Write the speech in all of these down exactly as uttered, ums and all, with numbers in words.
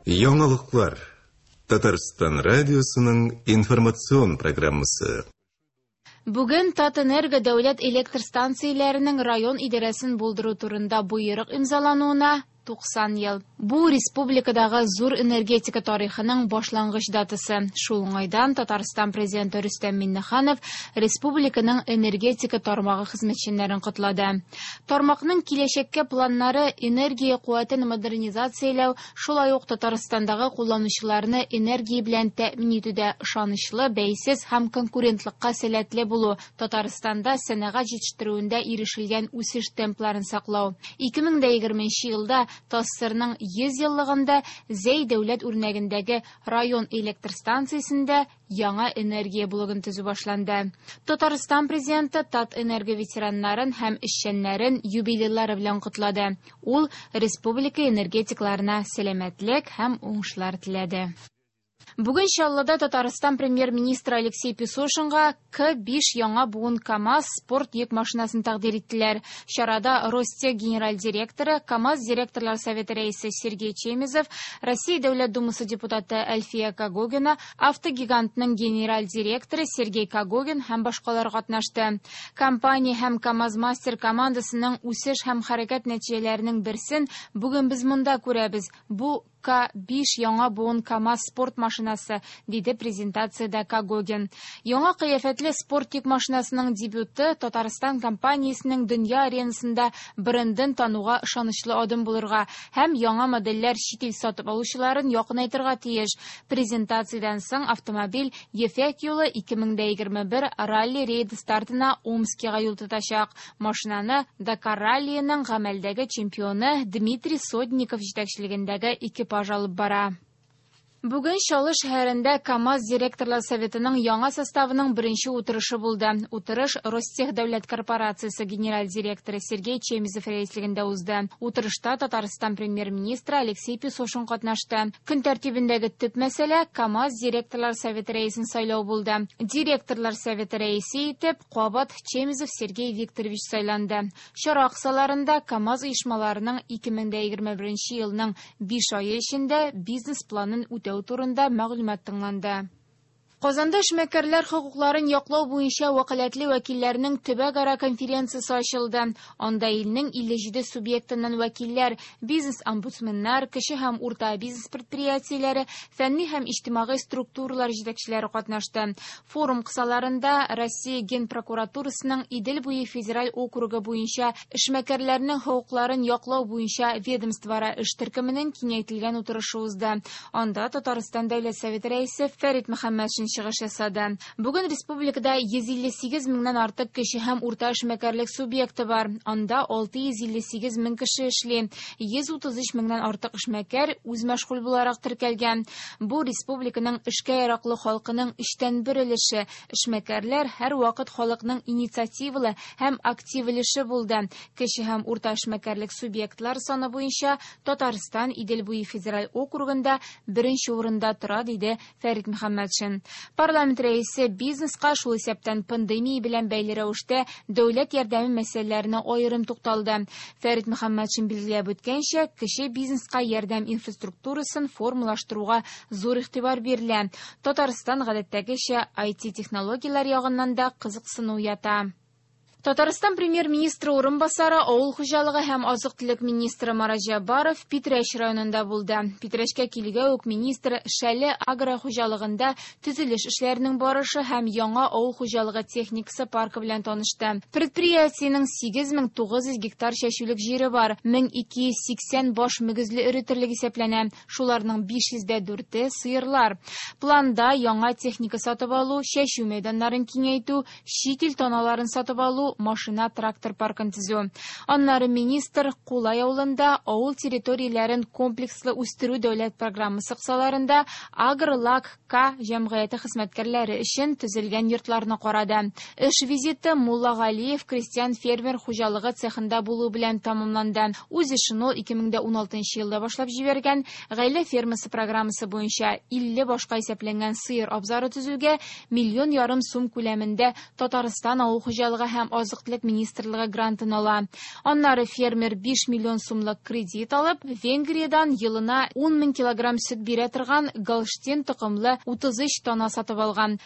Яңалыклар. Татарстан радиосының информацион программасы. Бүген Татэнерго дәүләт электр станцияләренең район идарәсен булдыру турында боерык имзалануына туксан ел. Бу республикадагы зур энергетика тарихының башлангыч датасы. Шул уңайдан Татарстан президенты Рөстәм Миңнеханов республиканың энергетика тармагы хезмәтчәннәрен котлады. Тармакның киләчәккә планнары энергия куәтен модернизацияләү, шулай ук Татарстандагы кулланучыларны энергия белән тәэмин итүдә ышанычлы, бәйсез һәм конкурентлыкка сәләтле булу, Татарстанда сәнәгать җитештерүендә ирешелгән үсеш темпларын саклау. ике мең дә егерменче елда ТАССРның йөз еллыгында Зәй дәүләт үрнәгендәге район электр станциясендә яңа энергия блогын төзү башланды. Татарстан президенты Татэнерго ветераннарын һәм эшчәннәрен юбилейлары белән котлады. Ул республика энергетикларына сәламәтлек һәм уңышлар теләде. Бүген Чаллыда Татарстан премьер-министры Алексей Песошинга К биш яңа буын КАМАЗ спорт йөк машинасын тәкъдир иттеләр. Чарада Ростех генераль директоры, КАМАЗ директорлар советы рәисе Сергей Чемезов, Россия Дәүләт Думасы депутаты Әлфия Когогина, автогигантның генераль директоры Сергей Когогин һәм башкалар катнашты. Компания һәм КАМАЗ-мастер командасының үсеш һәм хәрәкәт нәтиҗәләренең берсен бүген без монда күрәбез. Бу К биш яңа буын КАМАЗ спорт машинасы, диде презентациядә Когогин. Яңа кыяфәтле спорт йөк машинасының дебюты Татарстан компаниясенең дөнья аренасында брендын тануга ышанычлы адым булырга һәм яңа модельләр чит ил сатып алучыларын якынайтырга тиеш. Презентациядән соң автомобиль Ефәк юлы ике мең дә егерме бер ралли рейд стартына Омскига юл тотачак. Машинаны Дакар раллиының гамәлдәге чемпионы Дмитрий Сотников җитәкчелегендәге экипаж алып бара. Бүген Чаллы шәһәрендә КАМАЗ директорлар советының яңа составының беренче утырышы булды. Утырыш Ростех дәүләт корпорациясе генераль директоры Сергей Чемезов рәислегендә узды. Утырышта Татарстан премьер-министры Алексей Песошин катнашты. Көн тәртибендәге төп мәсьәлә КАМАЗ директорлар советы рәисен сайлау булды. Директорлар советы рәисе итеп кабат Чемезов Сергей Викторович сайланды. Чара кысаларында КАМАЗ оешмаларының ике мең дә егерме беренче елның биш ае эчендә бизнес-планын үтәү турында мәгълүмат тыңланды. Казанда эшмәкәрләр хокукларын яклау буенча вәкаләтле вәкилләрнең төбәкара конференциясе ачылды. Анда илнең илле җиде субъектыннан вәкилләр, бизнес-омбудсменнар, кече һәм урта бизнес предприятиеләре, фәнни һәм иҗтимагый структуралар җитәкчеләре катнашты. Форум кысаларында Россия Генпрокуратурасының Идел буе федераль округы буенча эшмәкәрләрнең хокукларын яклау буенча ведомствоара эш төркеменең киңәйтелгән утырышы узды. Анда Татарстан Дәүләт Советы рәисе Фәрит Мөхәммәтшин чыгыш ясады. Бүген республикада йөз илле сигез меңнән артык кече һәм урта эшмәкәрлек субъекты бар. Анда алты йөз илле сигез мең кеше эшли. Йөз утыз өч меңнән артык эшмәкәр үз мәшгуль буларак теркәлгән. Бу республиканың эшкә яраклы халкының өчтән бер өлеше. Эшмәкәрләр һәр вакыт халыкның инициативалы һәм актив өлеше булды. Кече һәм урта эшмәкәрлек субъектлар саны буенча Татарстан Идел буе федераль округында беренче урында тора, диде Фәрит Мөхәммәтшин. Парламент рәисе бизнеска, шул исәптән пандемия белән бәйле рәвештә дәүләт ярдәме мәсьәләләренә аерым тукталды. Фәрит Мөхәммәтшин билгеләп үткәнчә, кече бизнеска ярдәм инфраструктурасын формалаштыруга зур игътибар бирелә. Татарстан гадәттәгечә ай ти технологияләр ягыннан да кызыксыну уята. Татарстан премьер-министры урынбасары, авыл хуҗалыгы һәм азык-төлек министры Марат Җәббаров Питрәч районында булды. Питрәчкә килгән үк министр Шәле агро хуҗалыгында төзелеш эшләренең барышы һәм яңа авыл хуҗалыгы техникасы паркы белән танышты. Предприятиенең сигез мең тугыз йөз гектар чәчүлек җире бар, мең ике йөз сиксән баш мөгезле эре терлек исәпләнә. Шуларның биш йөз дә дүрте сыерлар. Планда яңа техника сатып алу, чәчү мәйданнарын киңәйтү, чит ил таналарын сатып алу, машина трактор паркын төзү. Аннары министр Кулай авылында авыл территорияләрен комплекслы үстерү дәүләт программасы кысаларында Агрлак К җәмгыяте хезмәткәрләре өчен төзелгән йортларны карады. Эш визиты Муллагалиев крестьян фермер хуҗалыгы цехында булу белән тәмамланды. Үз эшен ул ике мең дә уналтынчы елда башлап җибәргән. Гаилә фермасы программасы буенча илле башка исәпләнгән сыер абзары төзүгә миллион ярым сум күләмендә Татарстан авыл хуҗалыгы һәм азык-төлек министрлыгы грантын ала. Аннары фермер биш миллион сумлык кредит алып, Венгриядән елына ун мең килограмм сөт бирә торган Голштин токымлы утыз өч тана сатып алган.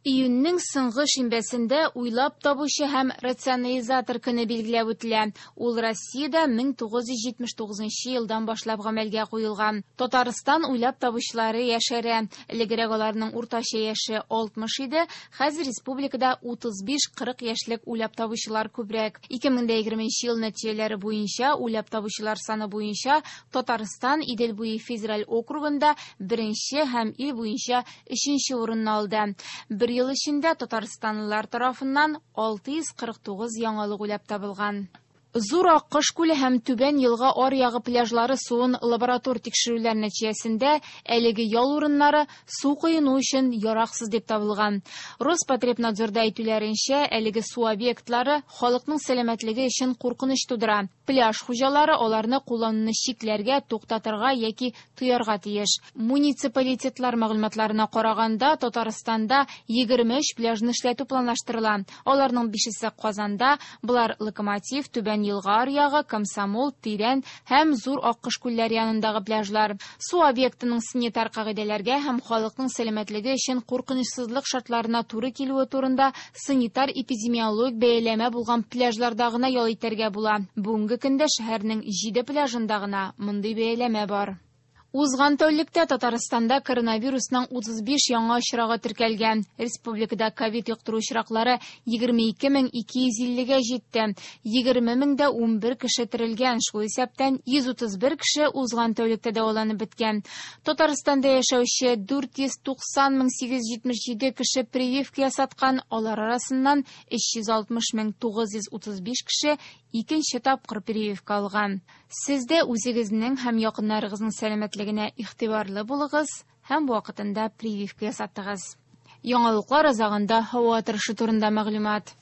Июньнең соңгы шимбәсендә уйлап табучы һәм рационализатор көне билгеләп үтелә. Ул Россиядә мең тугыз йөз җитмеш тугызынчы елдан башлап гамәлгә куелган. Татарстан уйлап табучылары яшәрә. Элегрәк аларның уртача яше алтмыш иде, хәзер республикада утыз биш-кырык яшьлек уйлап табучылар күбрәк. Ике мең дә егерменче ел нәтиҗәләре буенча уйлап табучылар саны буенча Татарстан Идел буе федераль округында беренче һәм ил буенча өченче урынны алды. Бер ел эчендә татарстанлылар тарафыннан алты йөз кырык тугыз яңалык уйлап табылган. Зур Аккош күле һәм Түбән елга аръягы пляжлары суын лаборатор тикшерүләр нәтиҗәсендә әлеге ял урыннары су коену өчен яраксыз дип табылган. Роспотребнадзорда әйтүләренчә, әлеге су объектлары халыкның сәламәтлеге өчен куркыныч тудыра. Пляж хуҗалары аларны куллануны чикләргә, туктатырга яки тыярга тиеш. Муниципалитетлар мәгълүматларына караганда, Татарстанда егерме өч пляжны эшләтү планлаштырыла. Аларның бишесе Казанда, болар Локомотив, Түбән елга аръягы, Комсомол, Тирән һәм Зур Аккош күлләре янындагы пляжлар. Су объектының санитар кагыйдәләргә һәм халыкның сәламәтлеге өчен куркынычсызлык шартларына туры килүе турында санитар эпидемиологик бәяләмә булган пляжларда гына ял итәргә була. Бүгенге көндә шәһәрнең җиде пляжында гына мондый бәяләмә бар. Узган тәүлектә Татарстанда коронавирусның утыз биш яңа очрагы теркәлгән. Республикада ковид йоктыру очраклары егерме ике мең ике йөз иллегә җитте. Егерме мең дә унбер кеше терелгән, шул исәптән йөз утыз бер кеше узган тәүлектә дәваланып беткән. Татарстанда яшәүче дүрт йөз туксан мең сигез йөз җитмеш җиде кеше прививка ясаткан, алар арасыннан өч йөз алтмыш мең тугыз йөз утыз биш кеше икенче тапкыр прививка алган. Сез дә үзегезнең һәм якыннарыгызның сәламәтлегенә игътибарлы булыгыз һәм вакытында прививка ясатыгыз. Яңалыклар азагында һава торышы турында мәгълүмат.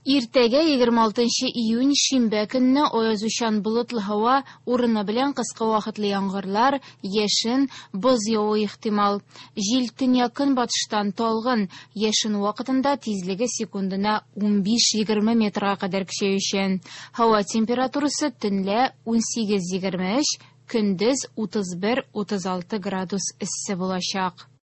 Иртәгә егерме алтынчы июнь шимбә көнне аязучан болытлы һава, урыны белән кыска вакытлы яңгырлар, яшен, боз явуы ихтимал. Җил төньяк көнбатыштан талгын, яшен вакытында тизлеге секундына унбиш-егерме метрга кадәр көчәючән. Һава температурасы төнлә унсигез-егерме өч, көндез утыз бер-утыз алты градус эссе булачак.